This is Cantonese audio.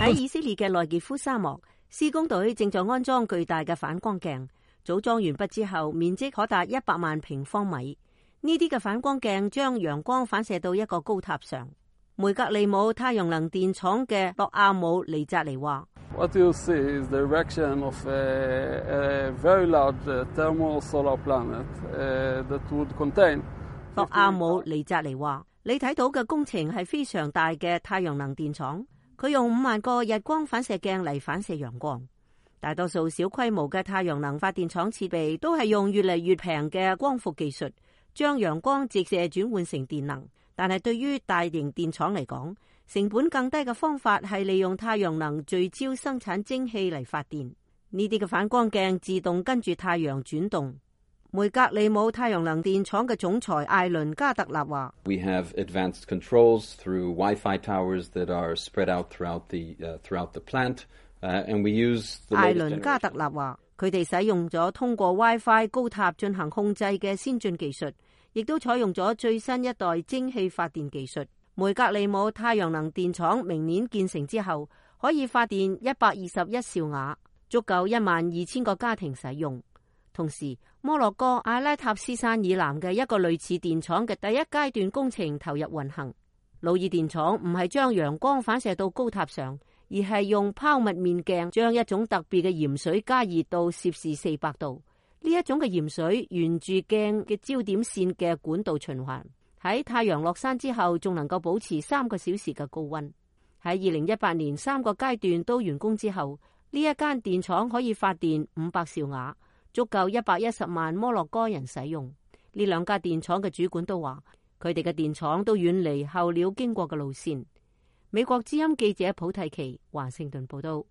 喺以色列嘅內傑夫沙漠，施工隊正在安裝巨大嘅反光鏡，組裝完畢之後，面積可達100萬平方米。呢啲嘅反光鏡將陽光反射到一個高塔上。梅格利姆太陽能電廠嘅洛亞姆尼扎尼話：What you see is the erection of a very large thermal solar planet that would contain。洛亞姆尼扎尼話：你睇到嘅工程係非常大嘅太陽能電廠，佢用5萬個日光反射鏡嚟反射陽光。大多數小規模嘅太陽能發電廠設備都係用越嚟越平嘅光伏技術，將陽光直射轉換成電能。但係對於大型電廠嚟講，成本更低嘅方法係利用太陽能聚焦生產蒸汽嚟發電。呢啲嘅反光鏡自動跟住太陽轉動。梅格利姆太陽能電廠嘅總裁艾倫加特納話：We have advanced controls through Wi-Fi towers that are spread out throughout the plant, and we use the latest generation。艾倫加特納話：佢哋使用咗通過 Wi-Fi 高塔進行控制嘅先進技術。亦都採用咗最新一代蒸汽發電技術。梅格利姆太陽能電廠明年建成之後，可以發電121兆瓦，足夠12000個家庭使用。同時，摩洛哥阿拉塔斯山以南嘅一個類似電廠嘅第一階段工程投入運行。魯爾電廠唔係將陽光反射到高塔上，而係用拋物面鏡將一種特別嘅鹽水加熱到攝氏400度。呢一種嘅鹽水沿住鏡嘅焦點線嘅管道循環，喺太陽落山之後，仲能夠保持3個小時嘅高溫。喺2018年3個階段都完工之後，呢一間電廠可以發電500兆瓦，足夠110萬摩洛哥人使用。呢兩家電廠嘅主管都話，佢哋嘅電廠都遠離候鳥經過嘅路線。美國之音記者普蒂奇華盛頓報道。